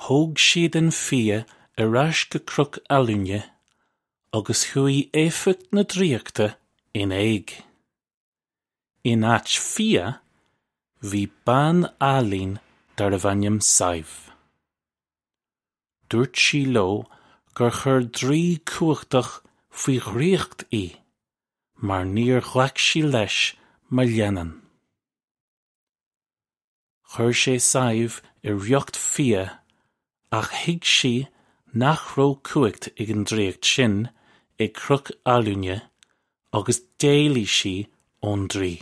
Thóg siad an fia ar ais go Cnoc Alúine agus chuaigh éifeacht na draíochta in éag. In áit fia, bhí bean álainn darbh ainm Sadhbh. Dúirt sí leo gur chuir draoi cumhachtach faoi dhraíocht í mar níor ghlac sí leis mar leannán. Chuir sé Sadhbh i riocht fia ach thuig sí nach raibh cumhacht ag an draíocht sin ag Cnoc Alúine agus d'éalaigh sí ón draoi.